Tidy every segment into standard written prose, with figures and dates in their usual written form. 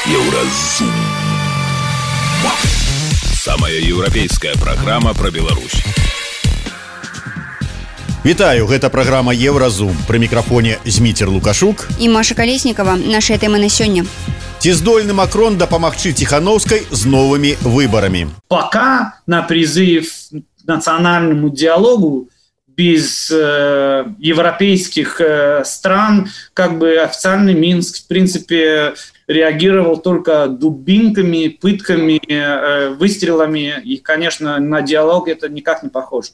Еўразум. Самая еўрапейская праграма пра Беларусь. Вітаю, гэта праграма Еўразум. Пры мікрафоне Зміцер Лукашук і Маша Калеснікова. Нашыя тэмы на сёння. Ці здольны Макрон дапамагчы Тихановскай з новымі выбарамі? Пока на призыв к национальному диалогу без европейских стран официальный Минск, в принципе, реагировал только дубинками, пытками, выстрелами. И, конечно, на диалог это никак не похоже.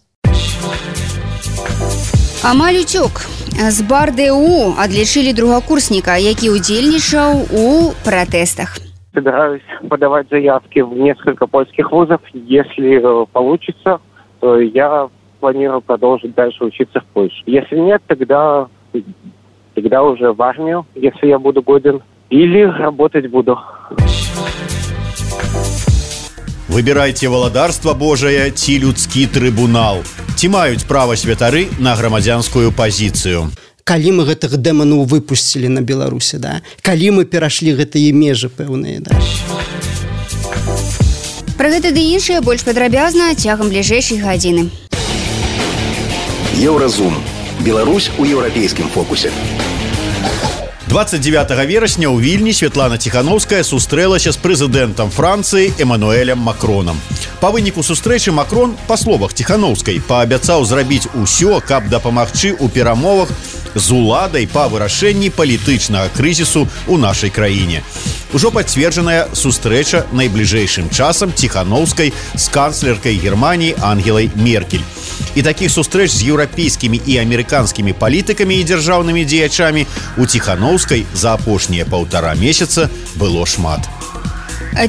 Амаль уцёк. З БАР-ДУ адлічылі другакурсніка, які удзельнічаў у пратэстах. Собираюсь подавать заявки в несколько польских вузов. Если получится, то я планирую продолжить дальше учиться в Польше. Если нет, тогда уже в армию, если я буду годен, или работать буду. Выбірайце валадарства Божае ці людскі трыбунал. Ці маюць права святары на грамадзянскую пазіцыю? Калі мы гэтых дэманаў выпусцілі на Беларусі, да? Калі мы перашлі гэтыя межы пэўныя, да? Пра гэта ды іншае больш падрабязна цягам бліжэйшай гадзіны. Еўразум. Беларусь у еўрапейскім фокусе. 29 верасня ў Вільні Святлана Тихановская сустрэлася з прэзідэнтам Францыі Эмануэлем Макронам. Па выніку сустрэчы Макрон, па словах Тихановскай, паабяцаў зрабіць усё, каб дапамагчы ў перамовах з уладай па вырашэнні палітычнага крызісу ў нашай краіне. Ужо пацверджаная сустрэча найбліжэйшым часам Тихановскай з канцлеркай Германіі Ангелай Меркель. І такіх сустрэч з еўрапейскімі і амерыканскімі палітыкамі і дзяржаўнымі дзеячамі у Тихановскай за апошнія 1,5 месяца было шмат.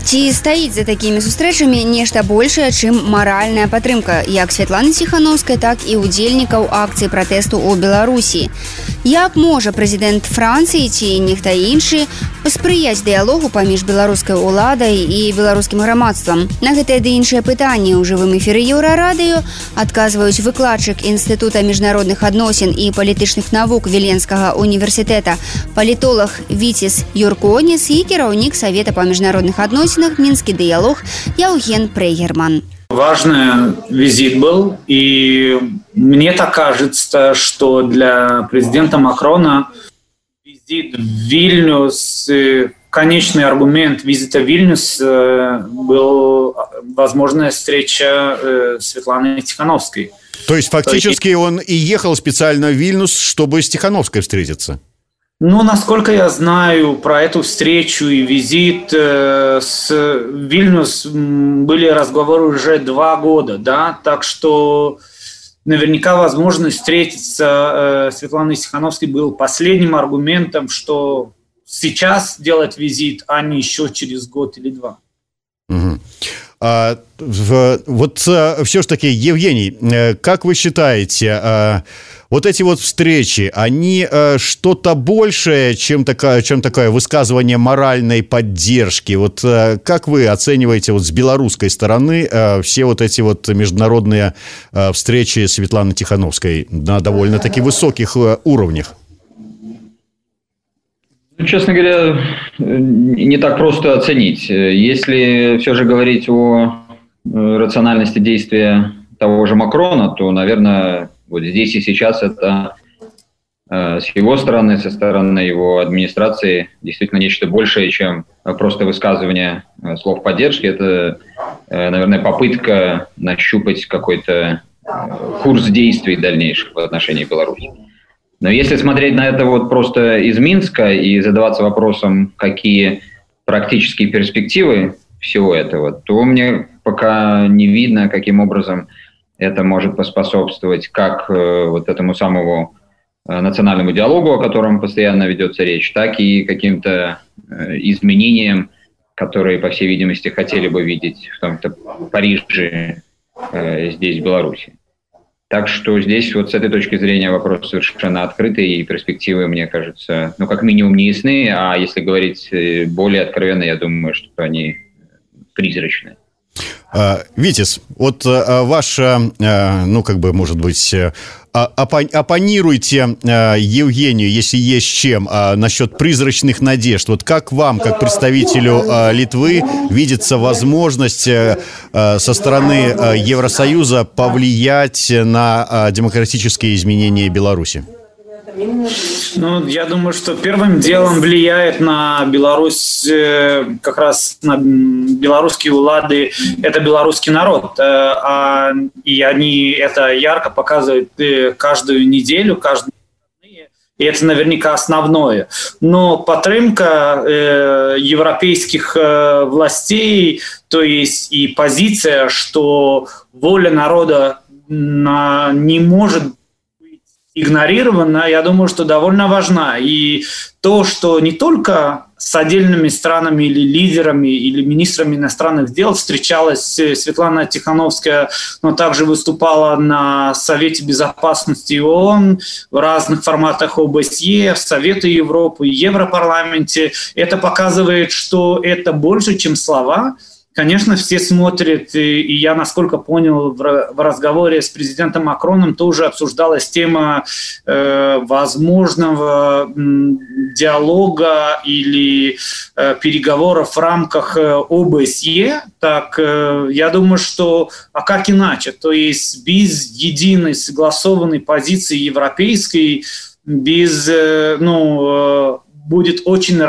Ці стаіць за такімі сустрэчамі нешта большае, чым маральная падтрымка як Святланы Тихановскай, так і удзельнікаў акцыі пратэсту ў Беларусі? Як можа прэзідэнт Францыі ці нехта іншы паспрыяць дыялогу паміж беларускай уладай і беларускім грамадствам? На гэтыя ды іншыя пытанні ў жывым эфіры Еўрарадыё адказваюць выкладчык Інстытута міжнародных адносін і палітычных навук Віленскага універсітэта, палітолог Віціс Юрконіс і кіраўнік Савета па міжнародных адносінах «Мінскі дыялог» Яўген Прейгерман. Важный визит был, и мне так кажется, что для президента Макрона визит в Вильнюс, конечный аргумент визита в Вильнюс был возможная встреча Светланы Тихановской. То есть фактически он и ехал специально в Вильнюс, чтобы с Тихановской встретиться? Ну, насколько я знаю, про эту встречу и визит с Вильнюс были разговоры уже 2 года, да, так что наверняка возможность встретиться Светланой Тихановской был последним аргументом, что сейчас делать визит, а не еще через год или 2. Угу. Вот все ж таки, Евгений, как вы считаете, вот эти вот встречи, они что-то большее, чем такое высказывание моральной поддержки? Вот как вы оцениваете вот с белорусской стороны все вот эти вот международные встречи Светланы Тихановской на довольно-таки высоких уровнях? Честно говоря, не так просто оценить. Если все же говорить о рациональности действия того же Макрона, то, наверное, вот здесь и сейчас это с его стороны, со стороны его администрации действительно нечто большее, чем просто высказывание слов поддержки. Это, наверное, попытка нащупать какой-то курс действий дальнейших в отношении Беларуси. Но если смотреть на это вот просто из Минска и задаваться вопросом, какие практические перспективы всего этого, то мне пока не видно, каким образом это может поспособствовать как вот этому самому национальному диалогу, о котором постоянно ведется речь, так и каким-то изменениям, которые, по всей видимости, хотели бы видеть в том-то Париже, здесь, в Беларуси. Так что здесь вот с этой точки зрения вопрос совершенно открытый, и перспективы, мне кажется, ну, как минимум не ясны, а если говорить более откровенно, я думаю, что они призрачны. Витис, вот ваша, может быть, оппонируйте Евгению, если есть чем, насчет призрачных надежд. Вот как вам, как представителю Литвы, видится возможность со стороны Евросоюза повлиять на демократические изменения Беларуси? Я думаю, что первым делом влияет на Беларусь, как раз на белорусские улады, это белорусский народ. И они это ярко показывают каждую неделю, каждую. И это наверняка основное. Но подтримка европейских властей, то есть и позиция, что воля народа не может игнорирована, я думаю, что довольно важна. И то, что не только с отдельными странами или лидерами, или министрами иностранных дел встречалась Светлана Тихановская, но также выступала на Совете Безопасности ООН, в разных форматах ОБСЕ, в Совете Европы, Европарламенте. Это показывает, что это больше, чем слова. Конечно, все смотрят, и я, насколько понял, в разговоре с президентом Макроном тоже обсуждалась тема возможного диалога или переговоров в рамках ОБСЕ. Так, я думаю, что, а как иначе? То есть без единой согласованной позиции европейской, без, будет очень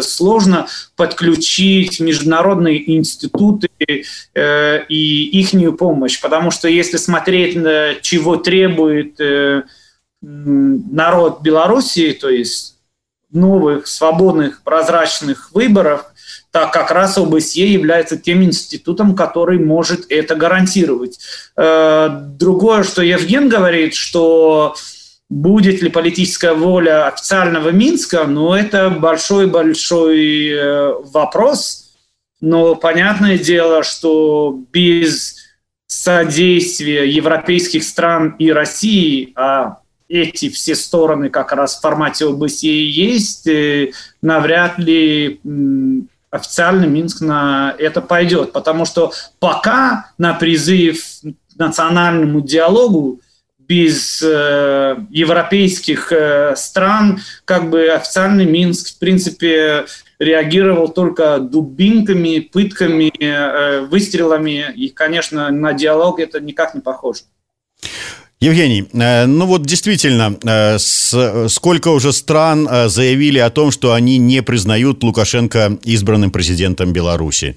сложно подключить международные институты и ихнюю помощь. Потому что если смотреть, чего требует народ Беларуси, то есть новых, свободных, прозрачных выборов, так как раз ОБСЕ является тем институтом, который может это гарантировать. Другое, что Евген говорит, что будет ли политическая воля официального Минска, это большой-большой вопрос. Но понятное дело, что без содействия европейских стран и России, а эти все стороны как раз в формате ОБСЕ есть, навряд ли официально Минск на это пойдет. Потому что пока на призыв к национальному диалогу без европейских стран, официальный Минск, в принципе, реагировал только дубинками, пытками, выстрелами. И, конечно, на диалог это никак не похоже. Евгений, действительно, сколько уже стран заявили о том, что они не признают Лукашенко избранным президентом Беларуси.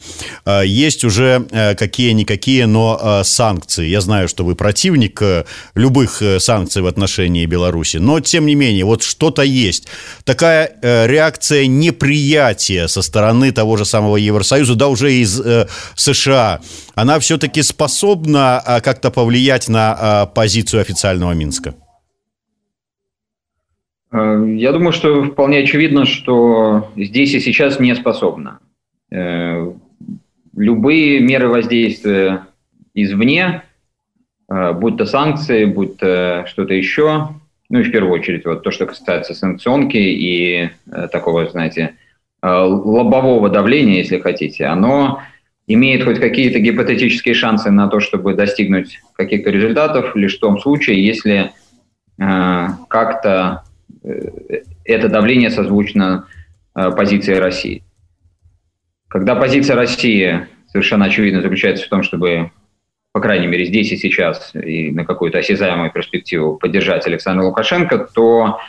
Есть уже какие-никакие, но санкции. Я знаю, что вы противник любых санкций в отношении Беларуси, но, тем не менее, вот что-то есть. Такая реакция неприятия со стороны того же самого Евросоюза, да уже из США, она все-таки способна как-то повлиять на позицию официального Минска? Я думаю, что вполне очевидно, что здесь и сейчас не способна. Любые меры воздействия извне, будь то санкции, будь то что-то еще, и в первую очередь вот то, что касается санкционки и такого, лобового давления, если хотите, оно имеет хоть какие-то гипотетические шансы на то, чтобы достигнуть каких-то результатов, лишь в том случае, если как-то это давление созвучно позиции России. Когда позиция России совершенно очевидно заключается в том, чтобы, по крайней мере, здесь и сейчас, и на какую-то осязаемую перспективу поддержать Александра Лукашенко, то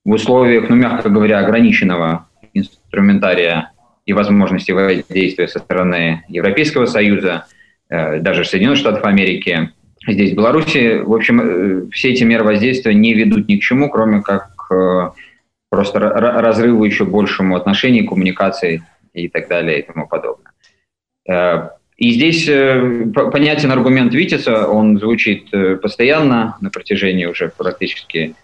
в условиях, мягко говоря, ограниченного инструментария и возможности воздействия со стороны Европейского Союза, даже Соединенных Штатов Америки, здесь, в Беларуси, в общем, все эти меры воздействия не ведут ни к чему, кроме как просто разрыву еще большему отношений, коммуникаций и так далее и тому подобное. И здесь понятен аргумент Витиса, он звучит постоянно на протяжении уже практически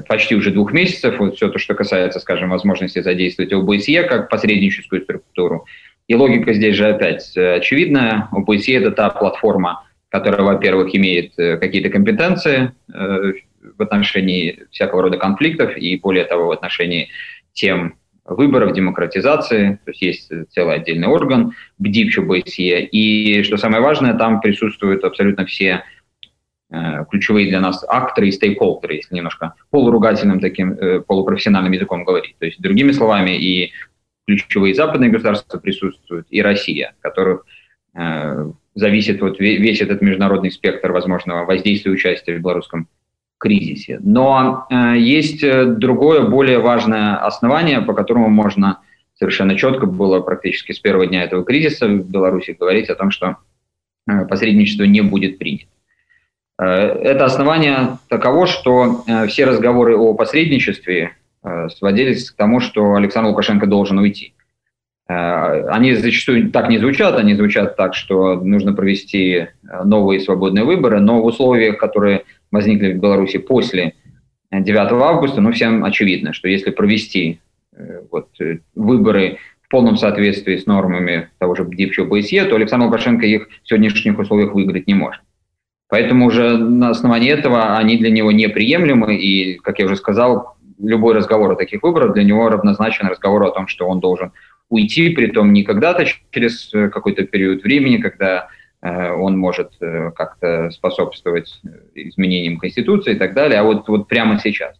почти уже 2 месяцев, вот все то, что касается, скажем, возможности задействовать ОБСЕ как посредническую структуру. И логика здесь же опять очевидная. ОБСЕ – это та платформа, которая, во-первых, имеет какие-то компетенции в отношении всякого рода конфликтов и, более того, в отношении тем выборов, демократизации, то есть есть целый отдельный орган, БДИП ОБСЕ, и, что самое важное, там присутствуют абсолютно все ключевые для нас акторы и стейкхолдеры, если немножко полуругательным таким полупрофессиональным языком говорить. То есть, другими словами, и ключевые западные государства присутствуют, и Россия, от которых зависит вот весь этот международный спектр возможного воздействия и участия в белорусском кризисе. Но есть другое, более важное основание, по которому можно совершенно четко было практически с первого дня этого кризиса в Беларуси говорить о том, что посредничество не будет принято. Это основание таково, что все разговоры о посредничестве сводились к тому, что Александр Лукашенко должен уйти. Они зачастую так не звучат, они звучат так, что нужно провести новые свободные выборы, но в условиях, которые возникли в Беларуси после 9 августа, всем очевидно, что если провести выборы в полном соответствии с нормами того же БДИП ОБСЕ, то Александр Лукашенко их в сегодняшних условиях выиграть не может. Поэтому уже на основании этого они для него неприемлемы, и, как я уже сказал, любой разговор о таких выборах для него равнозначен разговору о том, что он должен уйти, притом не когда-то через какой-то период времени, когда он может как-то способствовать изменениям Конституции и так далее, а вот прямо сейчас.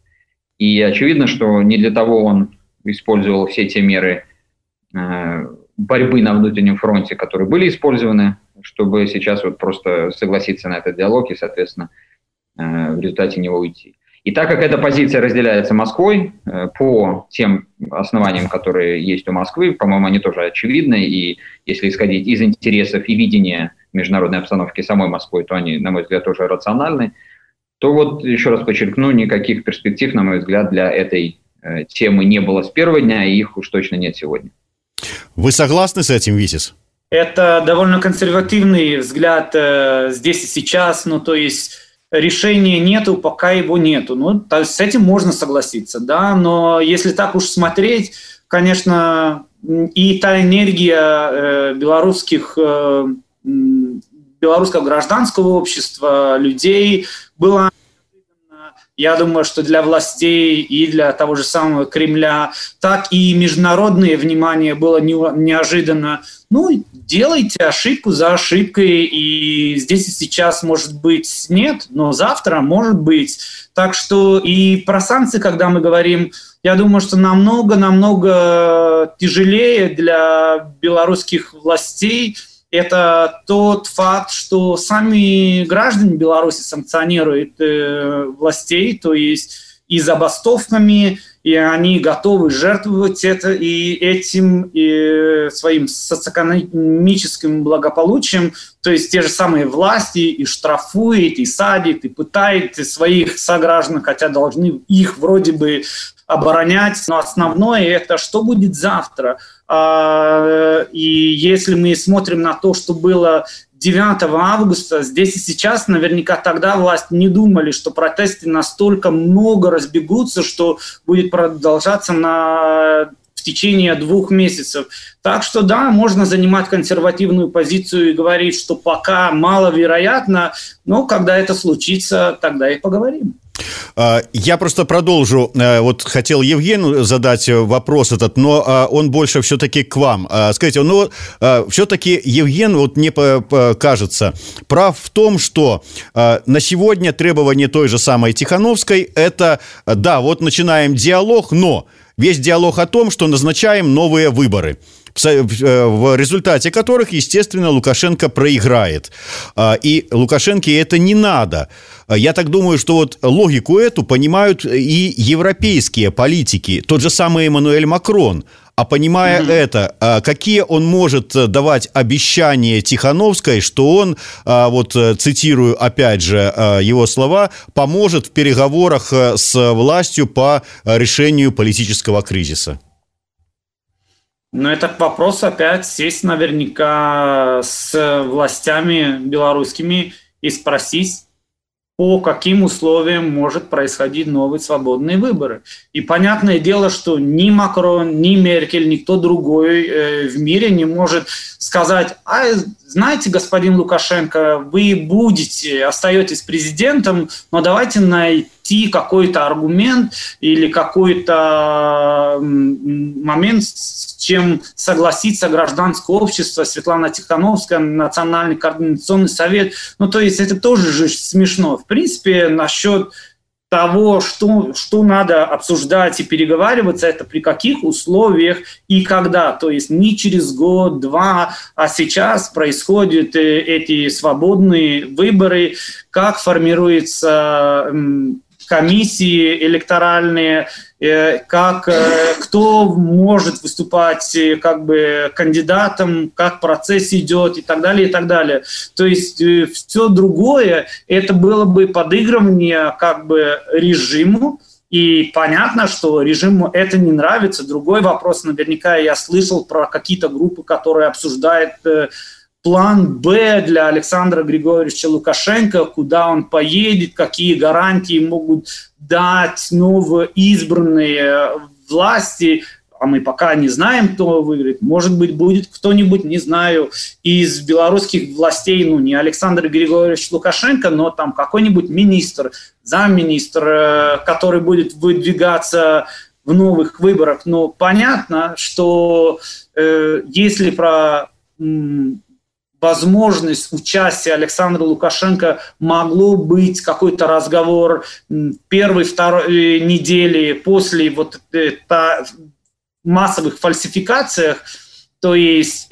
И очевидно, что не для того он использовал все те меры борьбы на внутреннем фронте, которые были использованы, чтобы сейчас просто согласиться на этот диалог и, соответственно, в результате него уйти. И так как эта позиция разделяется Москвой по тем основаниям, которые есть у Москвы, по-моему, они тоже очевидны, и если исходить из интересов и видения международной обстановки самой Москвы, то они, на мой взгляд, тоже рациональны, то еще раз подчеркну, никаких перспектив, на мой взгляд, для этой темы не было с первого дня, и их уж точно нет сегодня. Вы согласны с этим, Витис? Это довольно консервативный взгляд здесь и сейчас, то есть решения нету, пока его нету. То есть с этим можно согласиться, да, но если так уж смотреть, конечно, и та энергия белорусского гражданского общества, людей была, я думаю, что для властей и для того же самого Кремля, так и международное внимание было неожиданно. Делайте ошибку за ошибкой, и здесь и сейчас, может быть, нет, но завтра может быть. Так что и про санкции, когда мы говорим, я думаю, что намного тяжелее для белорусских властей это тот факт, что сами граждане Беларуси санкционируют властей, то есть и забастовками, и они готовы жертвовать этим своим социоэкономическим благополучием, то есть те же самые власти и штрафуют, и садят, и пытают своих сограждан, хотя должны их вроде бы оборонять, но основное это что будет завтра. И если мы смотрим на то, что было 9 августа, здесь и сейчас, наверняка тогда власти не думали, что протесты настолько много разбегутся, что будет продолжаться в течение 2 месяцев. Так что да, можно занимать консервативную позицию и говорить, что пока маловероятно, но когда это случится, тогда и поговорим. Я просто продолжу. Хотел Евгению задать вопрос этот, но он больше все-таки к вам. Скажите, все-таки Евген, мне кажется, прав в том, что на сегодня требование той же самой Тихановской – это, да, начинаем диалог, но весь диалог о том, что назначаем новые выборы, в результате которых, естественно, Лукашенко проиграет. И Лукашенко это не надо. Я так думаю, что логику эту понимают и европейские политики, тот же самый Эммануэль Макрон. А понимая это, какие он может давать обещания Тихановской, что он, цитирую опять же его слова, поможет в переговорах с властью по решению политического кризиса? Это вопрос опять сесть наверняка с властями белорусскими и спросить, по каким условиям может происходить новые свободные выборы. И понятное дело, что ни Макрон, ни Меркель, никто другой в мире не может сказать: знаете, господин Лукашенко, вы остаетесь президентом, но давайте найти какой-то аргумент или какой-то момент, с чем согласится гражданское общество, Светлана Тихановская, Национальный координационный совет. То есть это тоже же смешно. В принципе, насчет того, что надо обсуждать и переговариваться, это при каких условиях и когда. То есть не через год-два, а сейчас происходят эти свободные выборы, как формируются комиссии электоральные, кто может выступать кандидатом, как процесс идет и так далее, и так далее. То есть все другое, это было бы подыгрывание режиму, и понятно, что режиму это не нравится. Другой вопрос, наверняка я слышал про какие-то группы, которые обсуждают план «Б» для Александра Григорьевича Лукашенко, куда он поедет, какие гарантии могут дать новоизбранные власти. А мы пока не знаем, кто выиграет. Может быть, будет кто-нибудь, не знаю, из белорусских властей, не Александр Григорьевич Лукашенко, но там какой-нибудь министр, замминистр, который будет выдвигаться в новых выборах. Но понятно, что если про возможность участия Александра Лукашенко могло быть какой-то разговор первой-второй недели после массовых фальсификациях, то есть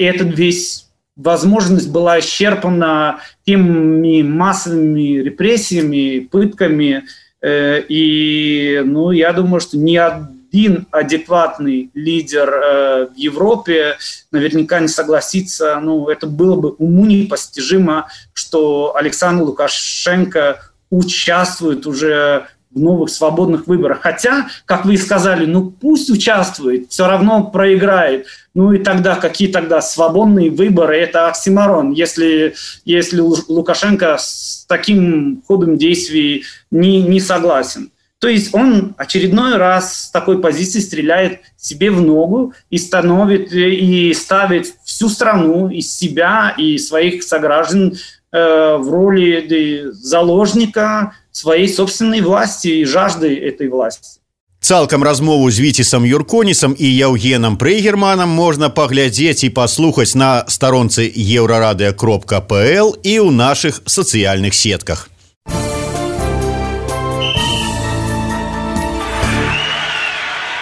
возможность была исчерпана теми массовыми репрессиями, пытками, и я думаю, что ни один адекватный лидер в Европе наверняка не согласится. Это было бы уму непостижимо, что Александр Лукашенко участвует уже в новых свободных выборах. Хотя, как вы сказали, пусть участвует, все равно проиграет. И тогда какие тогда свободные выборы? Это оксиморон, если Лукашенко с таким ходом действий не согласен. То есть он очередной раз с такой позиции стреляет себе в ногу и ставит всю страну из себя и своих сограждан в роли заложника своей собственной власти и жажды этой власти. Цалкам размову з Віцісам Юрконісам і Яўгенам Прейгерманам можна паглядзець і паслухаць на старонцы еўрарадыё.пл і ў нашых сацыяльных сетках.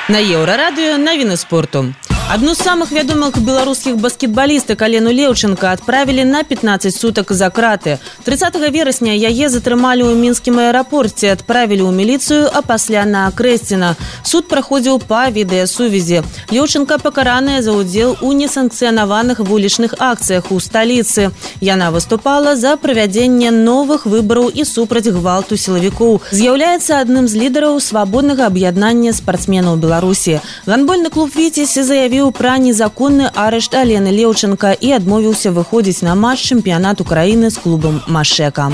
На Еўрарадыё навіны спорту. Одну з самых вядомых беларускіх баскетбалістак Алену Леўченка адправілі на 15 сутак за краты. 30 верасня яе затрымалі ў мінскім аэрапорце, адправілі ў міліцыю, а пасля на Крэсціна. Суд праходзіў па відэасувязі. Леўченка пакараная за ўдзел у несанкцыянаваных вулічных акцыях у сталіцы. Яна выступала за правядзенне новых выбараў і супраць гвалту сілавікоў. З'яўляецца адным з лідараў свабоднага аб'яднання спартсменаў Беларусі. Гандбольны клуб «Віцязь» заявіў пра незаконны арышт Алены Леўченка і адмовіўся выходзіць на матч чэмпіянату краіны з клубам «Машэка».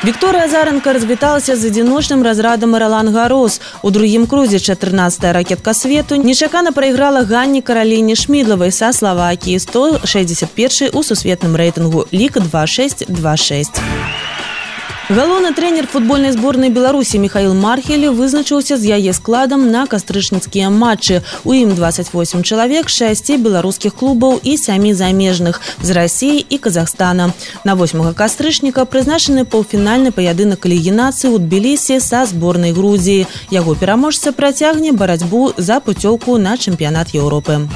Вікторыя Азаренка развіталася з адзіночным разрадам Ролан Гарос. У другім крузе 14-я ракетка свету нечакана прайграла Ганні Караліне Шмідлавай са Славакіі, 161 у сусветным рэйтынгу, лік 2-6-2-6. Галоўны трэнер футбольнай зборнай Беларусі Михаил Мархель вызначыўся з яе складам на кастрычніцкія матчы. У ім 28 чалавек, 6 беларускіх клубаў і 7 замежных з Расіі і Казахстана. На 8 кастрычніка прызначаны паўфінальны паядынак элімінацыі ў Тбілісі са зборнай Грузіі. Яго пераможца працягне барацьбу за пуцёўку на чэмпіянат Еўропы.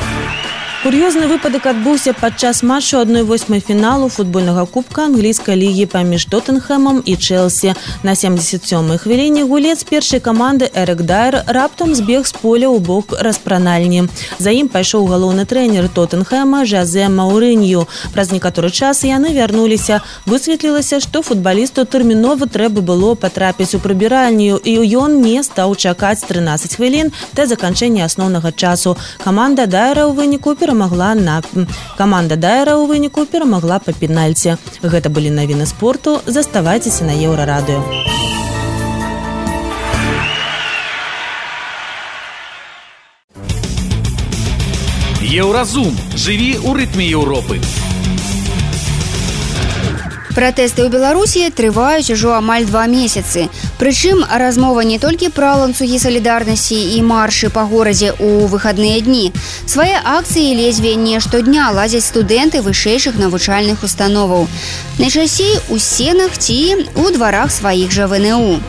Кур'ёзны выпадак адбыўся падчас матчу 1/8 фіналу футбольнага кубка англійскай лігі паміж Тоттенхэмам і Чэлсі. На 77-й хвіліне гулец першай каманды Эрік Дайер раптам збег з поля ў бок распранальні. За ім пайшоў галоўны трэнер Тоттенхэма Жозе Мауринью. Праз некаторы час яны вярнуліся. Высветлілася, што футбалісту тэрмінова трэба было патрапіць у прыбіральню, і ён не стаў чакаць 13 хвілін да заканчэння асноўнага часу. Каманда Дайера ў выніку перамагла Каманда Дайера ў выніку перамагла па пенальці. Гэта былі навіны спорту. Заставайцеся на Еўрарадыё. Еўразум. Жыві ў рытме Еўропы. Пратэсты ў Беларусі трываюць ужо амаль 2 месяцы. Прычым размова не толькі пра ланцугі салідарнасці і маршы па горадзе ў выхадныя дні. Свае акцыі ледзьве не штодня ладзяць студэнты вышэйшых навучальных установаў. Найчасцей у сценах ці ў дварах сваіх жа ВНУ.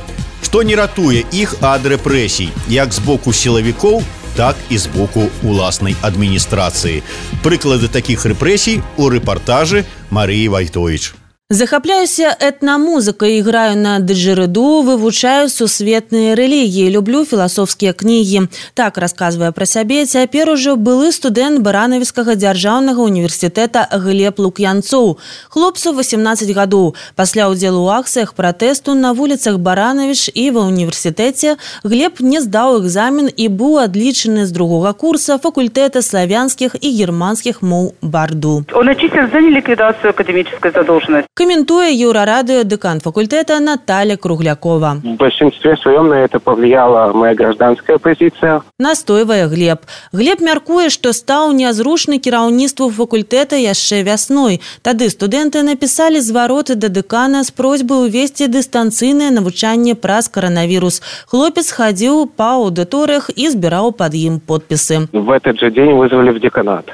Што не ратуе іх ад рэпрэсій, як з боку сілавікоў, так і з боку уласнай адміністрацыі. Прыклады такіх рэпрэсій у рэпартажы Марыі Вайтовіч. Захапляюся этнамузыкай, іграю на дыджырыду, вывучаю сусветныя рэлігіі, люблю філасофскія кнігі. Так расказвае пра сябе цяпер ужо былы студэнт Баранавіцкага дзяржаўнага універсітэта Глеб Лук'янцоў. Хлопцу 18 гадоў. Пасля ўдзелу ў акцыях пратэсту на вуліцах Баранавіч і ва універсітэце Глеб не здаў экзамен і быў адлічаны з другога курса факультэта славянскіх і германскіх моў БАРДу. Он отчислен за неликвидацию академической задолженности. Комментуя Еўрарадыё декан факультета Наталья Круглякова. В большинстве своем на это повлияла моя гражданская позиция. Настойвае Глеб. Глеб мяркуе, што стаў нязручны кіраўніцтву факультэта яшчэ вясной. Тады студэнты напісалі звароты да дэкана з просьбай увесці дыстанцыйнае навучанне праз каранавірус. Хлопец хадзіў па аўдыторыях і збіраў пад ім подпісы. В этот же день вызвали в деканат.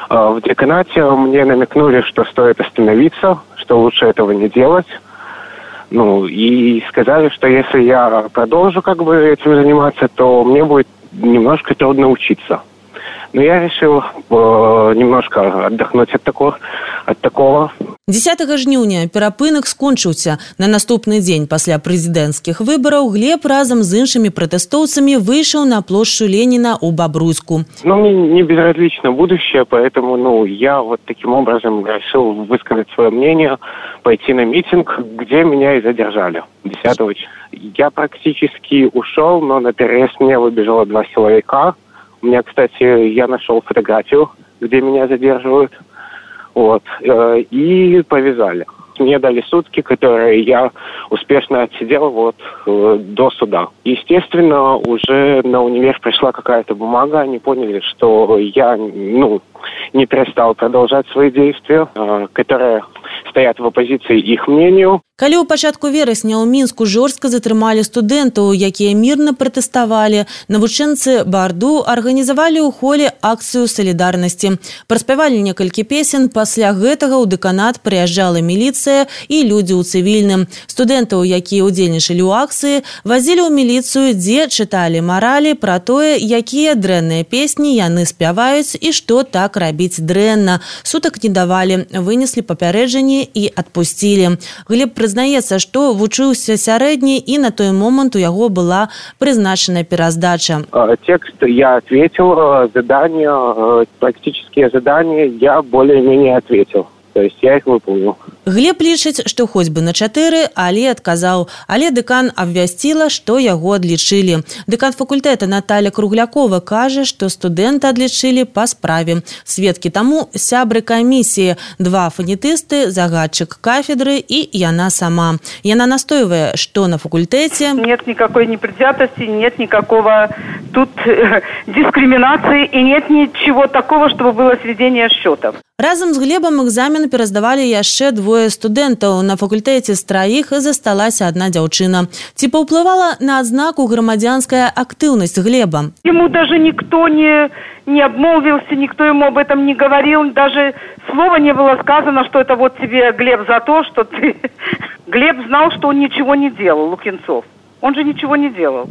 В деканате мне намекнули, что стоит остановиться, что лучше этого не делать. И сказали, что если я продолжу этим заниматься, то мне будет немножко трудно учиться. Но я решил немножко отдохнуть от такого. 10 жніўня перапынак скончыўся. На наступны дзень пасля прэзідэнцкіх выбараў Глеб разам з іншымі пратэстоўцамі выйшаў на плошчу Леніна ў Бабруйску. Мне не безразлично будущее, поэтому я таким образом решил высказать свое мнение, пойти на митинг, где меня и задержали 10-го. Я практически ушел, но на перерез мне выбежало 2 силовика. У меня, кстати, я нашел фотографию, где меня задерживают. И повязали. Мне дали сутки, которые я успешно отсидел до суда. Естественно, уже на универ пришла какая-то бумага, они поняли, что я не перестал продолжать свои действия, которые стоят в оппозиции их мнению. Калі ў пачатку верасня ў Мінску жорстка затрымалі студэнтаў, якія мірна пратэставалі, навучэнцы БАРДу арганізавалі ў холе акцыю салідарнасці. Праспявалі некалькі песен, пасля гэтага ў дэканат прыязджала міліцыя і людзі ў цывільным. Студэнтаў, якія ўдзельнічалі ў акцыі, вазілі ў міліцыю, дзе чыталі маралі пра тое, якія дрэнныя песні яны спяваюць і што так рабіць дрэнна. Сутак не давалі, вынеслі папярэджанне і адпусцілі. Глеб прызнаецца, што вучыўся сярэдні і на той момант у яго была прызначана пераздача. Текст я ответил, практические задания я более-менее ответил. То есть я их выполнил. Глеб лічыць, што хоць бы на 4, але адказаў. Але дэкан абвясціла, што яго адлічылі. Дэкан факультэта Наталья Круглякова кажа, што студэнта адлічылі па справе. Сведкі таму сябры камісіі, 2 фанетысты, загадчык кафедры і яна сама. Яна настойвае, што на факультэце нет никакой непредвзятости, нет никакого тут дискриминации и нет ничего такого, чтобы было сведение счетов. Разам з Глебам экзамен пераздавалі яшчэ 2 студэнтаў. На факультэце з 3 засталася 1 дзяўчына. Ці паўплывала на адзнаку грамадзянская актыўнасць Глеба? Ему даже никто не обмолвился, никто ему об этом не говорил. Даже слова не было сказано, что это тебе, Глеб, за то, что ты... Глеб знал, что он ничего не делал, Лук'янцов. Он же ничего не делал.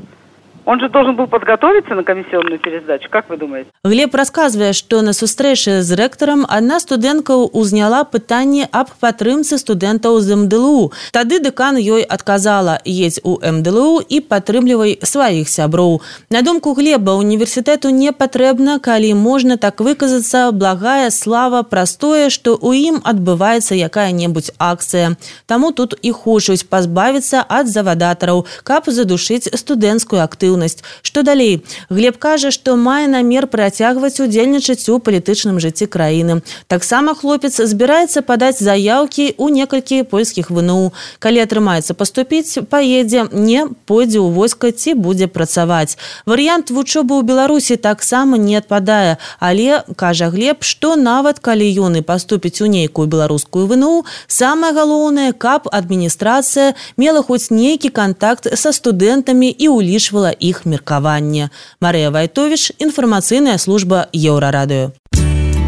Он же должен был подготовиться на комиссионную пересдачу, как вы думаете? Глеб расказвае, што на сустрэчы з рэктарам адна студэнтка узняла пытанне аб падтрымцы студэнтаў з МДЛУ. Тады дэкан ёй адказала: едзь у МДЛУ і падтрымлівай сваіх сяброў. На думку Глеба, універсітэту не патрэбна, калі можна так выказацца, благая слава праз тое, што ў ім адбываецца якая-небудзь акцыя. Таму тут і хочуць пазбавіцца ад завадатараў, каб задушыць студэнцкую актыўнасць. актыўнасць. Што далей? Глеб кажа, што мае намер працягваць удзельнічаць у палітычным жыцці краіны. Таксама хлопец збіраецца падаць заяўкі ў некалькі польскіх ВНУ. Калі атрымаецца паступіць, паедзе, не пойдзе ў войска ці будзе працаваць. Варыянт вучобы ў Беларусі таксама не адпадае, але, кажа Глеб, што нават калі ён і паступіць у нейкую беларускую ВНУ, самае галоўнае, каб адміністрацыя мела хоць нейкі кантакт са студэнтамі і улічвала іх меркаванне. Марыя Вайтовіч, інфармацыйная служба Еўрарадыё.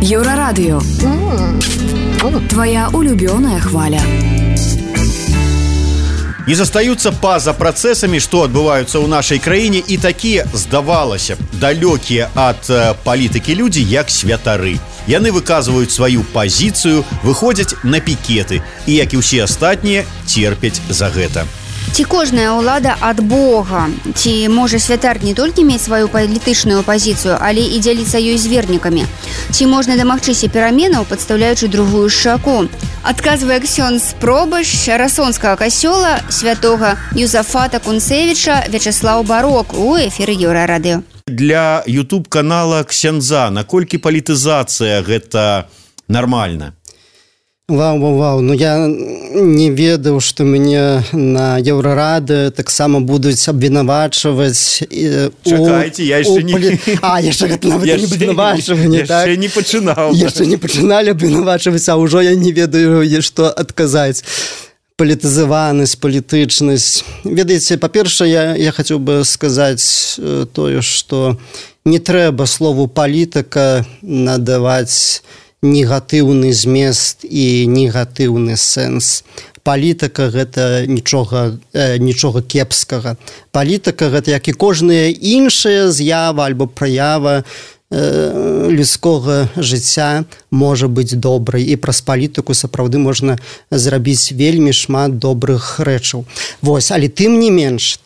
Еўрарадыё. Твоя улюбёная хваля. Не застаюцца па-за працэсамі, што адбываюцца ў нашай краіне, і такія, здавалася б, далёкія ад палітыкі людзі, як святары. Яны выказваюць сваю пазіцыю, выходзяць на пікеты і, як і ўсе астатнія, церпяць за гэта. Ці кожная ўлада ад Бога? Ці можа святар не толькі мець сваю палітычную пазіцыю, але і дзяліцца ёй з вернікамі? Ці можна дамагчыся пераменаў, падстаўляючы другую шаку? Адказвае ксёндз пробашч Расонскага касцёла святога Юзафата Кунцевіча Вячеслаў Барок у эфіры Еўрарадыё. Для YouTube-канала ксяндза наколькі палітызацыя гэта нармальна? Вау. Ну я не ведаў, што мяне на Еўрарадыё таксама будуць абвінавачваць. Чакайце, я яшчэ не... яшчэ гэта нават не абвінавачванне, так? Яшчэ не пачынаў. Яшчэ не пачыналі абвінавачваць, а ўжо я не ведаю, што адказаць. Палітызаванасць, палітычнасць. Ведаеце, па-першае, я хацеў бы сказаць тое, што не трэба слову палітыка надаваць негатыўны змест і негатыўны сэнс. Палітыка гэта нічога кепскага. Палітыка гэта, як і кожная іншая з'ява альбо праява людскога жыцця можа быць добрай, і праз палітыку сапраўды можна зрабіць вельмі шмат добрых рэчаў. Вось, але тым не менш,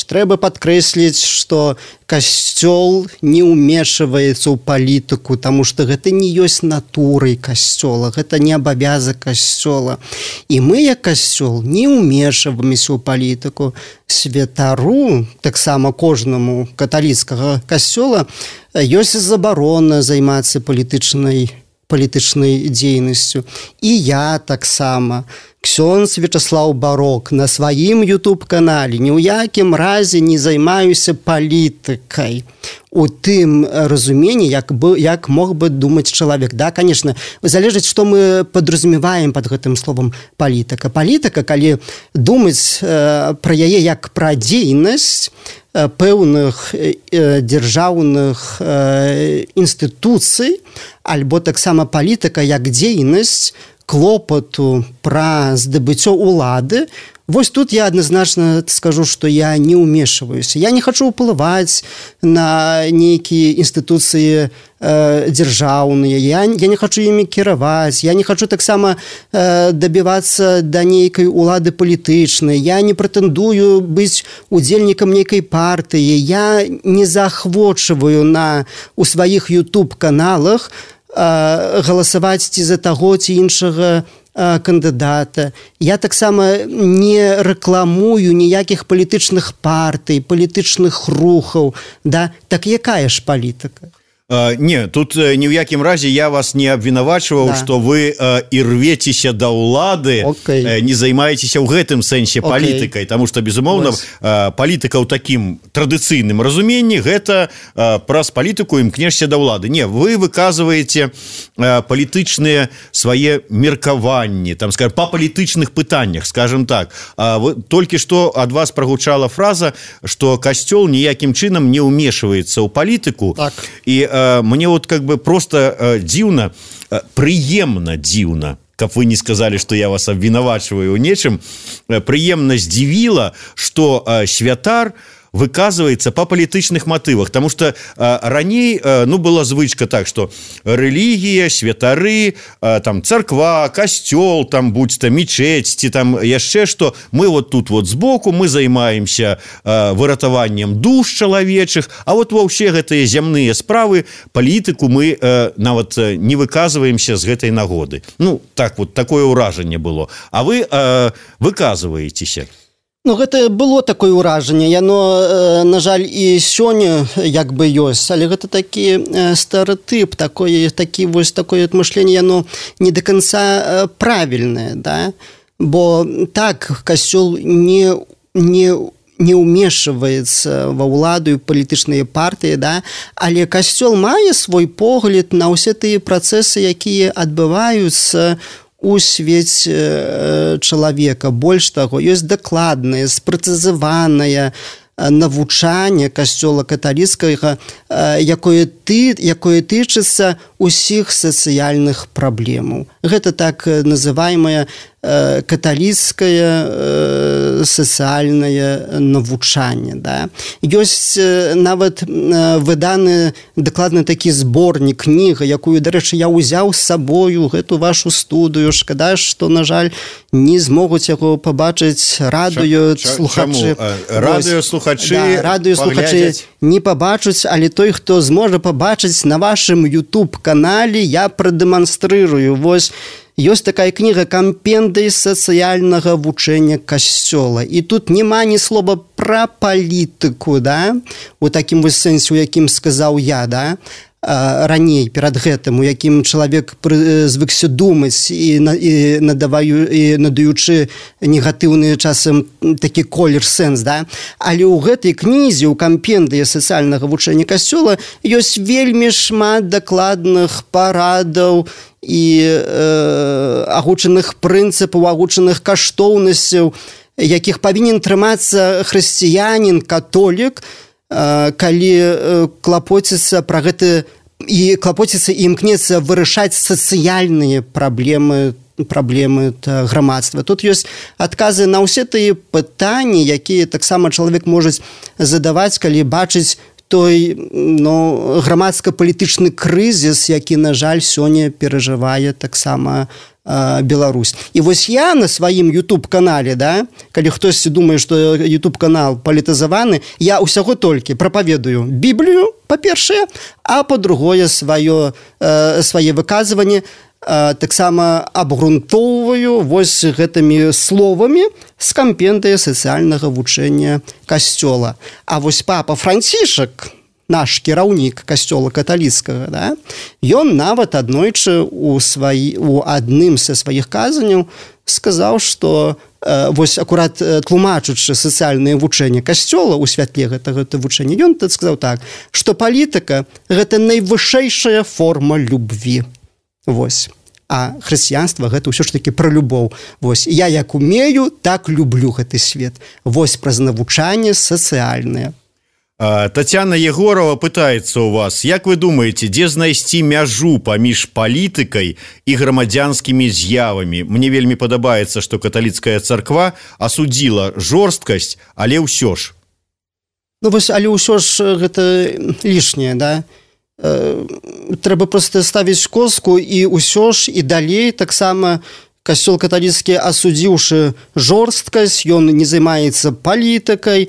трэба падкрэсліць, што касцёл не ўмешваецца ў палітыку, таму што гэта не ёсць натурай касцёла, гэта не абавязак касцёла. І мы, як касцёл, не ўмешваемся ў палітыку. Святару, таксама кожнаму каталіцкага касцёла, ёсць забарона займацца палітычнай дзейнасцю. І я таксама, ксёндз Вячеслаў Барок, на сваім YouTube-канале ні ў якім разе не займаюся палітыкай у тым разуменні, як мог бы думаць чалавек. Да, конечно, залежыць, што мы падразумеваем пад гэтым словам палітыка. Палітыка, калі думаць пра яе як пра дзейнасць пэўных дзяржаўных інстытуцый, альбо таксама палітыка як дзейнасць клопату пра здабыццё ўлады. Вось тут я адназначна скажу, што я не ўмешваюся. Я не хачу ўплываць на нейкія інстытуцыі дзяржаўныя, я не хачу імі кіраваць, я не хачу таксама дабівацца да нейкай улады палітычнай, я не прэтэндую быць удзельнікам нейкай партыі, я не заахвочваю у сваіх YouTube-каналах галасаваць ці за таго ці іншага кандыдата. Я таксама не рэкламую ніякіх палітычных партый, палітычных рухаў. Да? Так якая ж палітыка? Не, тут ні ў якім разе я вас не абвінавачваў, што вы і рвецеся да ўлады, не займаецеся ў гэтым сэнсе палітыкай, таму што, безумоўна, палітыка ў такім традыцыйным разуменні гэта праз палітыку імкнешся да ўлады. Не, вы выказваеце палітычныя свае меркаванні, там, скажем, па палітычных пытаннях, скажем так. Толькі што ад вас прагучала фраза, што касцёл ніякім чынам не ўмешваецца ў палітыку, і мне вот как бы просто дзіўна, прыемна дзіўна, каб вы не сказали, што я вас абвінавачваю ў нечым, прыемна здзівіла, што святар выказваецца па палітычных матывах, таму што раней была звычка так, што рэлігія, святары, там царква, касцёл, там будь-то мечеть, ці там яшчэ што, мы вот тут вот збоку, мы займаемся выратаваннем душ чалавечых, а вот ва ўсе гэтыя зямныя справы палітыку мы нават не выказваемся з гэтай нагоды. Ну, так вот, такое ўражанне было. А вы выказваецеся. Ну, гэта было такое ўражанне, яно, на жаль, і сёння як бы ёсць, але гэта такі стэрэатып, такое мышленне, яно не до конца правільнае, да? Бо так, касцёл не ўмешваецца ва ўладу і палітычныя партыі, да? Але касцёл мае свой погляд на ўсе тыя працэсы, якія адбываюцца у свеце чалавека. Больш таго, ёсць дакладнае, спрэцызаванае навучанне касцёла каталіцкага, якое тычыцца ўсіх сацыяльных праблемаў. Гэта так называемае каталіцкае сацыяльнае навучанне. Да? Ёсць нават выданы дакладны такі зборнік, кніга, якую, дарэчы, я ўзяў з сабою гэту вашу студыю. Шкада, што, на жаль, не змогуць яго пабачыць радыёслухачы. Радыёслухачы не пабачуць, але той, хто зможа пабачыць на вашым YouTube-канале, я прадэманстрырую. Вось ёсць такая кніга «Кампендый сацыяльнага вучэння касцёла». І тут няма ні слова пра палітыку, да? У такім вось сэнсе, у якім сказаў я, да? Раней, перад гэтым, у якім чалавек звыкся думаць і надаючы негатыўны часам такі колер сэнс, да? Але ў гэтай кнізе, у «Кампендыі сацыяльнага вучэння касцёла» ёсць вельмі шмат дакладных парадаў і агучаных прынцыпаў, агучаных каштоўнасцяў, якіх павінен трымацца хрысціянін, католік, калі клапоціцца пра гэта і клапоціцца і імкнецца вырашаць сацыяльныя праблемы грамадства. Тут ёсць адказы на ўсе тыя пытанні, якія таксама чалавек можа задаваць, калі бачыць той грамадска-палітычны крызіс, які, на жаль, сёння перажывае таксама Беларусь. І вось я на сваім YouTube-канале, да, калі хтосьці думае, што YouTube-канал палітызаваны, я ўсяго толькі прапаведую Біблію, па-першае, а па-другое свае выказванні таксама абгрунтоўваю вось гэтымі словамі з кампендыя сацыяльнага вучэння касцёла. А вось папа Францішак, наш кіраўнік касцёла каталіцкага, да, ён нават аднойчы у адным са сваіх казанняў сказаў, што вось акурат тлумачучы сацыяльнае вучэнне касцёла ў святле гэтага вучэння, ён тут сказаў так, што палітыка – гэта найвышэйшая форма любві. Вось. А хрысціянства – гэта ўсё ж такі пра любоў. Вось. Я як умею, так люблю гэты свет. Вось праз навучанне сацыяльнае. Тацяна Егорова пытаецца у вас, як вы думаеце, дзе знайсці мяжу паміж палітыкай і грамадзянскімі з'явамі? Мне вельмі падабаецца, што каталіцкая царква асудзіла жорсткасць, але ўсё ж. Ну вось, але ўсё ж гэта лішняе, да? Трэба проста ставіць коску і ўсё ж і далей таксама касцёл каталіцкі, асудзіўшы жорсткасць, ён не займаецца палітыкай,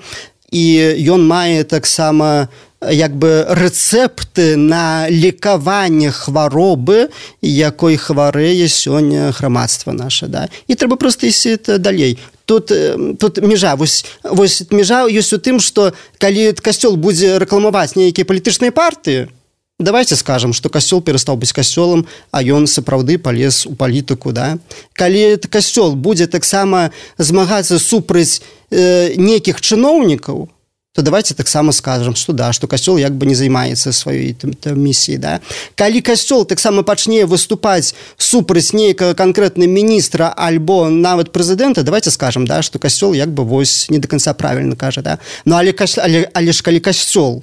і ён мае таксама як бы рэцэпты на лекаванне хваробы, якой хварэе сёння грамадства наша, да? І трэба проста ісці далей. Тут межа, вось межа ёсць у тым, што калі касцёл будзе рэкламаваць нейкія палітычныя партыі, давайте скажам, што касцёл перастаў быць касцёлам, а ён сапраўды палез у палітыку, да? Калі касцёл будзе таксама змагацца супраць нейкіх чыноўнікаў, то давайте таксама скажам, што да, што касцёл як бы не займаецца сваёй місіяй, да? Калі касцёл таксама пачне выступаць супраць нейкага канкрэтна міністра альбо нават прэзідэнта, давайте скажам, да, што касцёл як бы вось не до конца правільна кажа, да? Ну але ж калі касцёл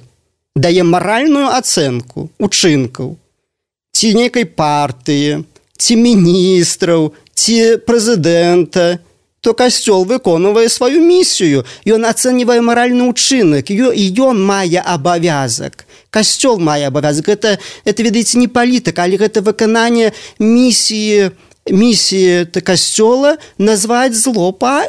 дае маральную ацэнку учынкаў ці нейкай партыі, ці міністраў, ці прэзідэнта, то касцёл выконвае сваю місію. Ён ацэньвае маральны ўчынак, і ён мае абавязак. Касцёл мае абавязак. Это ведаеце, не палітыка, але гэта выкананне місіі касцёла назваць зло па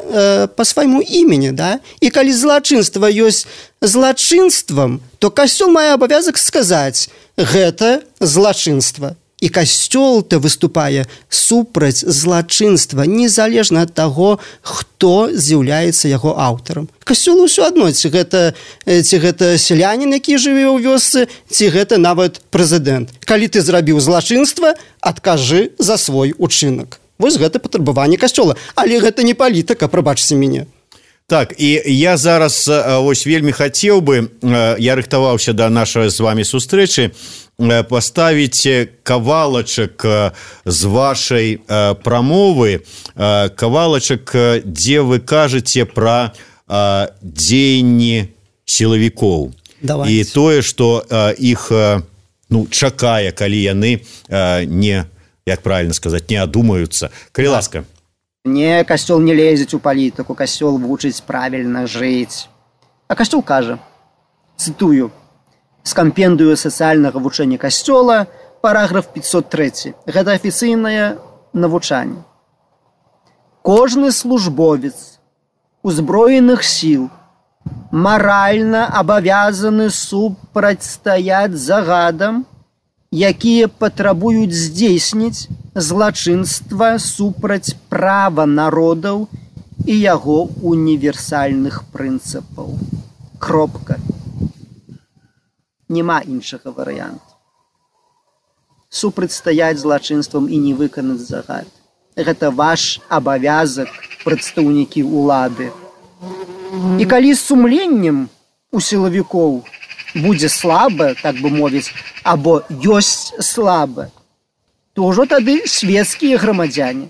свайму імені, да? І калі злачынства ёсць злачынствам, то касцёл мае абавязак сказаць, гэта злачынства. І касцёл-то выступае супраць злачынства, незалежна ад таго, хто з'яўляецца яго аўтарам. Касцёлу ўсё адно, ці гэта селянін, які жыве ў вёсцы, ці гэта нават прэзідэнт. Калі ты зрабіў злачынства, адкажы за свой учынак. Вось гэта патрабаванне касцёла. Але гэта не палітыка, прабачце мяне. Так, і я зараз ось вельмі хацеў бы, я рыхтаваўся да нашай з вами сустрэчы, паставіць кавалачак з вашай прамовы, кавалачак, дзе вы кажаце пра дзеянні сілавікоў. Давайте. І тое, што іх чакае, калі яны не, як правильно сказаць, не адумаюцца. Калі ласка. Не, касцёл не лезець у палітыку, касцёл вучыць правільна жыць. А касцёл кажа, цытую, з кампендыю сацыяльнага вучэння касцёла, параграф 503. Гэта афіцыйнае навучанне. Кожны службовец узброеных сіл маральна абавязаны супрацьстаяць загадам, якія патрабуюць здзейсніць злачынства супраць права народаў і яго універсальных прынцыпаў. Кропка. Няма іншага варыянту. Супрацьстаяць злачынствам і не выканаць загад. Гэта ваш абавязак, прадстаўнікі ўлады. І калі з сумленнем у сілавікоў будзе слаба, так бы мовіць, або ёсць слаба, то ўжо тады свецкія грамадзяне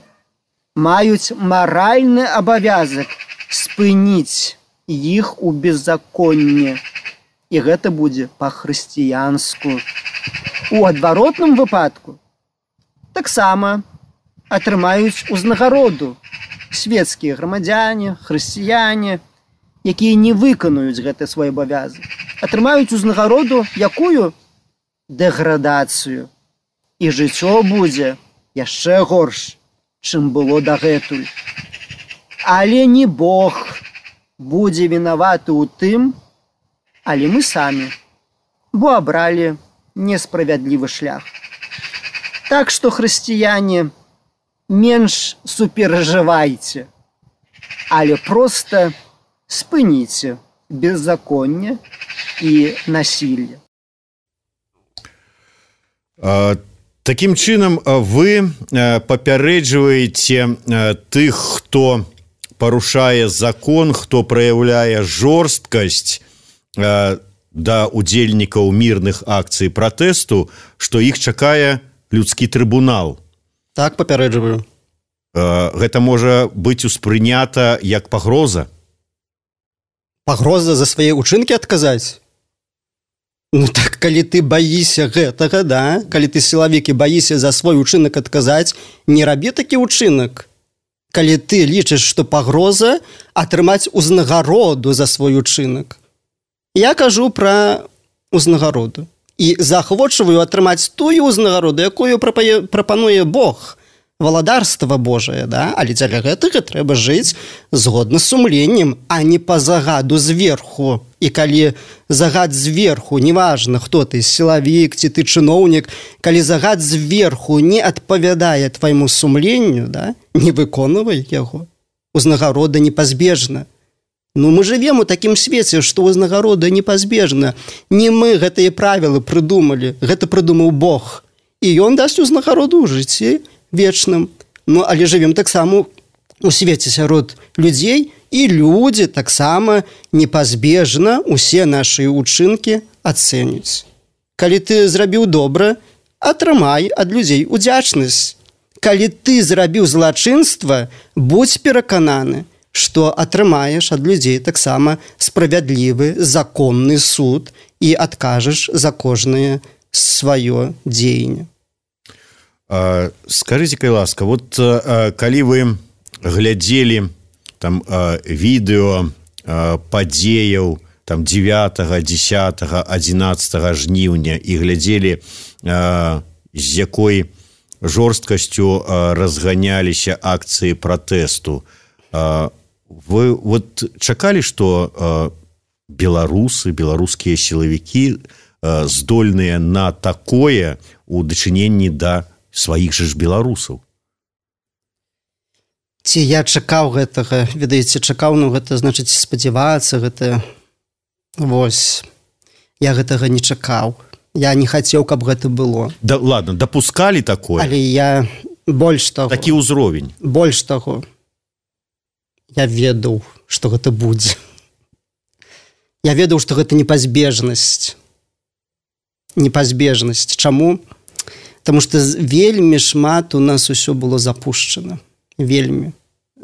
маюць маральны абавязак спыніць іх у беззаконне. І гэта будзе па-хрысціянску. У адваротным выпадку таксама атрымаюць узнагароду свецкія грамадзяне, хрысціяне, якія не выканаюць гэты свой абавязак. Атрымаюць узнагароду якую? Дэградацыю. І жыццё будзе яшчэ горш, чым было дагэтуль. Але не Бог будзе вінаваты ў тым, але мы самі, бо абралі несправядлівы шлях. Так што, хрысціяне, менш суперажывайце, але проста спыніце беззаконне і насілле. Такім чынам, вы папярэджваеце тых, хто парушае закон, хто праяўляе жорсткасць да удзельнікаў мірных акцый пратэсту, што іх чакае людскі трыбунал. Так, папярэджваю. Гэта можа быць успрынята як пагроза? Пагроза за свае ўчынкі адказаць? Ну так, калі ты баіся гэтага, да? Калі ты сілавік і баіся за свой учынак адказаць, не рабі такі ўчынак. Калі ты лічыш, што пагроза атрымаць узнагароду за свой учынак. Я кажу пра узнагароду. І заахвочваю атрымаць тую узнагароду, якую прапануе Бог. Валадарства Божае, да? Але дзеля гэтага трэба жыць згодна з сумленнем, а не па загаду зверху. І калі загад зверху, неважна, хто ты, сілавік ці ты чыноўнік, калі загад зверху не адпавядае твайму сумленню, да? Не выконвай яго. Узнагарода непазбежна. Ну, мы жывем у такім свеце, што узнагарода непазбежна. Не мы гэтыя правілы прыдумалі, гэта прыдумаў Бог. І ён дасць узнагароду ў жыцці вечным. Ну, але жывем таксама у свеце сярод людзей, і людзі таксама непазбежна усе нашы ўчынкі ацэняць. Калі ты зрабіў добра, атрымай ад людзей удзячнасць. Калі ты зрабіў злачынства, будзь перакананы, што атрымаеш ад людзей таксама справядлівы законны суд і адкажаш за кожнае сваё дзеянне. Скажите, калі ласка, вот калі вы глядзелі там відэо падзеяў там 9, 10, 11 жніўня і глядзелі, з якой жорсткасцю разганяліся акцыі пратэсту, вы вот чакалі, што беларусы, беларускія сілавікі здольныя на такое у дачыненні да сваіх жа ж беларусаў? Ці я чакаў гэтага, ведаеце, чакаў, ну гэта значыць спадзявацца, гэта вось, я гэтага не чакаў. Я не хацеў, каб гэта было. Да, ладно, дапускалі такое? Але я больш таго... Такі ўзровень? Больш таго. Я ведаў, што гэта будзе. Я ведаў, што гэта непазбежнасць. Непазбежнасць. Чаму? Таму што вельмі шмат у нас усё было запушчана. Вельмі.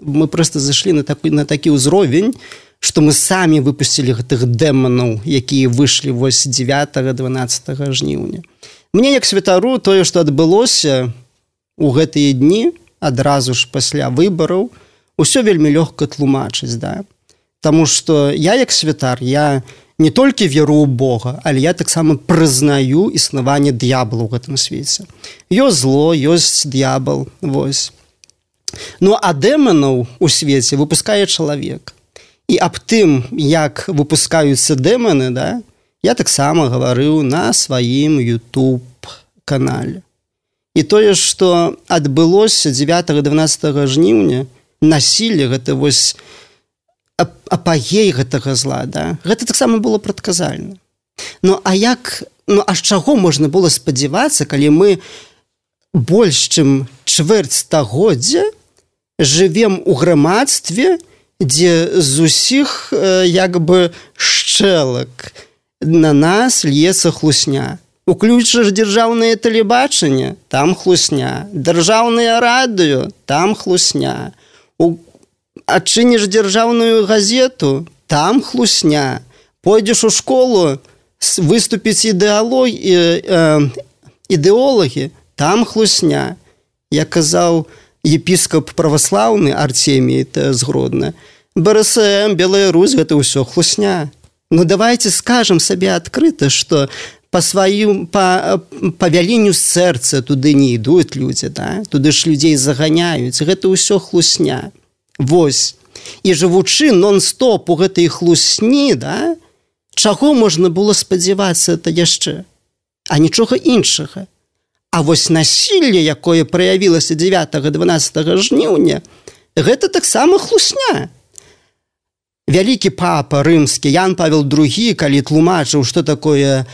Мы проста зайшлі на такі ўзровень, што мы самі выпусцілі гэтых дэманаў, якія выйшлі вось 9-12 жніўня. Мне, як святару, тое, што адбылося у гэтыя дні, адразу ж пасля выбараў, усё вельмі лёгка тлумачыць, да? Таму што я, як святар, я не толькі веру ў Бога, але я таксама прызнаю існаванне д'ябла ў гэтым свеце. Ёсць зло, ёсць д'ябал, вось. Ну, а дэманаў у свеце выпускае чалавек. І аб тым, як выпускаюцца дэманы, да, я таксама гаварыў на сваім YouTube-канале. І тое, што адбылося 9-12 жніўня, насілле, гэта вось апагей гэтага зла, да, гэта таксама было прадказальна. Ну, а з чаго можна было спадзявацца, калі мы больш чым чвэрць стагоддзя жывем у грамадстве, дзе з усіх як бы шчэлак на нас льецца хлусня. Уключыш дзяржаўнае тэлебачанне, там хлусня. Дзяржаўнае радыё, там хлусня. Адчыніш дзяржаўную газету, там хлусня. Пойдзеш у школу, выступіць ідэолагі, там хлусня. Я казаў, епіскап праваслаўны Артемій з Гродна, БРСМ, Белая Русь, гэта ўсё хлусня. Ну, давайте скажам сабе адкрыта, што па вяленню сэрца туды не ідуць людзі, да? Туды ж людзей заганяюць, гэта ўсё хлусня. Вось. І жывучы нон-стоп у гэтай хлусні, да? Чаго можна было спадзявацца это яшчэ? А нічога іншага. А вось насілле, якое праявілася 9-12 жніўня, гэта таксама хлусня. Вялікі папа рымскі Ян Павел II, калі тлумачыў, што такое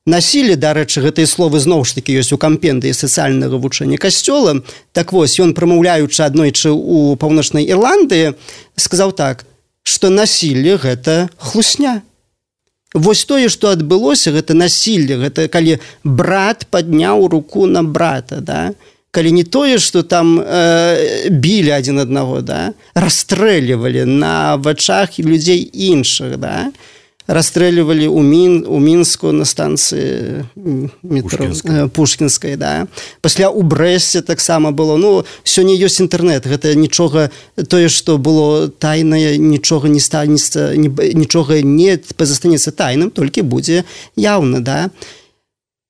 насілле, дарэчы, гэтыя словы зноў ж такі ёсць у кампендыі сацыяльнага вучэння касцёла, так вось, ён прамаўляючы аднойчы ў Паўночнай Ірландыі, сказаў так, што насілле гэта хлусня. Вось тое, што адбылося, гэта насілле, гэта калі брат падняў руку на брата, да? Калі не тое, што там білі адзін аднаго, да? Расстрэльвалі на вачах людзей іншых, да? Расстрэльвалі ў Мінску на станцыі метро Пушкінскай, да? Пасля ў Брэсце таксама было. Ну, сёння ёсць інтэрнэт, гэта нічога, тое, што было тайнае, нічога не станецца, нічога не застанецца тайным, толькі будзе яўна, да?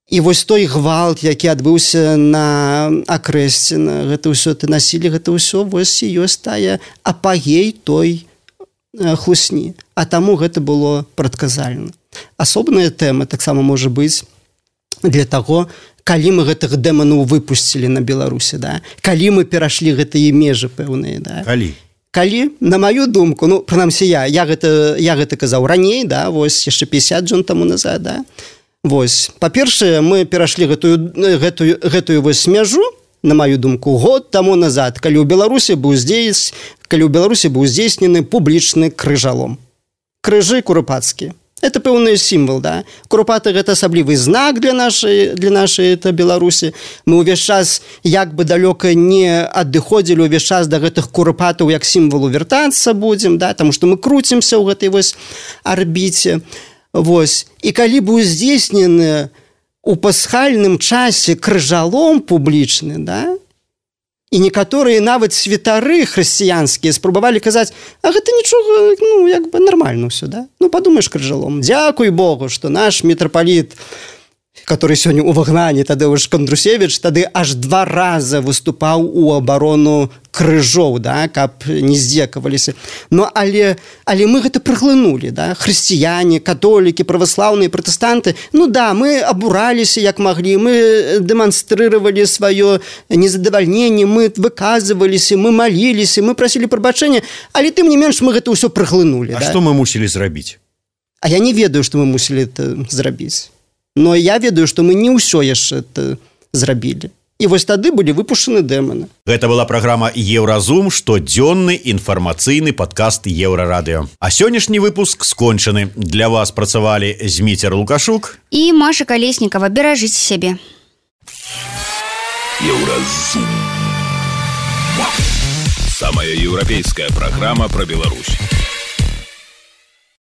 І вось той гвалт, які адбыўся на Акрэсціна, гэта ўсё ты насілі, гэта ўсё вось і ёсць тая апагей той хлусні. А таму гэта было прадказальна. Асобная тэма таксама можа быць для таго, калі мы гэтых дэманаў выпусцілі на Беларусі, да? Калі мы перашлі гэтыя межы пэўныя, да? Калі, на маю думку, ну, прынамсі я гэта казаў раней, да, вось яшчэ 50 дзён таму назад, да? Вось, па-першае, мы перашлі гэтую вось мяжу, на маю думку, год таму назад, калі ў Беларусі быў здзейснены публічны крыжалом. Крыжы курупацкія. Это пэўны сімвал, да? Курупаты гэта асаблівы знак для нашай Беларусі. Мы ўвесь час як бы далёка не адыходзілі ўвесь час да гэтых курупатаў як сімвалу вяртацца будзем, да? Таму што мы круцімся ў гэтай вось арбіце. Вось. І калі быў здзейснены у пасхальным часе крыжалом публічны, да? І некаторыя нават святары хрысціянскія спрабавалі казаць, а гэта нічога, ну, як бы нармальна ўсё, да? Ну, падумаеш крыжалом. Дзякуй Богу, што наш мітрапаліт который сёння ў выгнанні, Тадеуш Кандрусевич, тады аж 2 раза выступаў у абарону крыжоў, да, каб не здзекаваліся. Но але мы гэта праглынулі, да? Хрысціяне, католікі, праваслаўныя, пратэстанты. Ну да, мы абураліся як маглі, мы дэманстрыравалі сваё незадавальненне, мы выказываліся, мы маліліся, мы прасілі прабачэння, але тым не менш мы гэта ўсё праглынулі. А да? Што мы мусілі зрабіць? А я не ведаю, што мы мусілі это зрабіць. Но я ведаю, што мы не ўсё яшчэ это зрабілі. І вось тады былі выпушчаны дэманы. Гэта была праграма «Еўразум», штодзённы інфармацыйны падкаст Еўрарадыё. А сённяшні выпуск скончаны. Для вас працавалі Зміцер Лукашук і Маша Калеснікава. Беражыце сябе. Еўразум. Самая еўрапейская праграма пра Беларусь.